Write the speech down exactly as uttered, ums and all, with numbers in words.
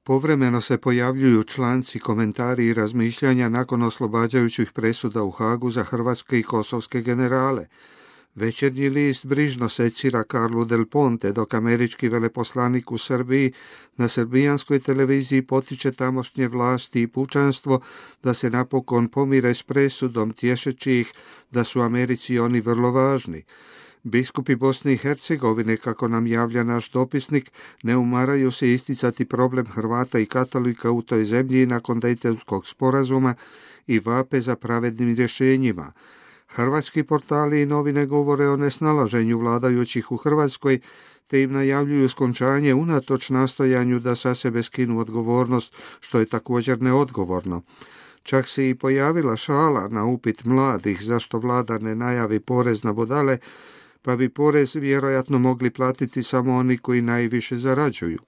Povremeno se pojavljuju članci, komentari i razmišljanja nakon oslobađajućih presuda u Hagu za hrvatske i kosovske generale. Večernji list brižno secira Carlu Del Ponte, dok američki veleposlanik u Srbiji na srbijanskoj televiziji potiče tamošnje vlasti i pučanstvo da se napokon pomire s presudom, tješeći ih da su Americi oni vrlo važni. Biskupi Bosne i Hercegovine, kako nam javlja naš dopisnik, ne umaraju se isticati problem Hrvata i katolika u toj zemlji nakon Dejtonskog sporazuma i vape za pravednim rješenjima. Hrvatski portali i novine govore o nesnalaženju vladajućih u Hrvatskoj, te im najavljuju skončanje unatoč nastojanju da sa sebe skinu odgovornost, što je također neodgovorno. Čak se i pojavila šala na upit mladih zašto vlada ne najavi porez na budale, pa bi porez vjerojatno mogli platiti samo oni koji najviše zarađuju.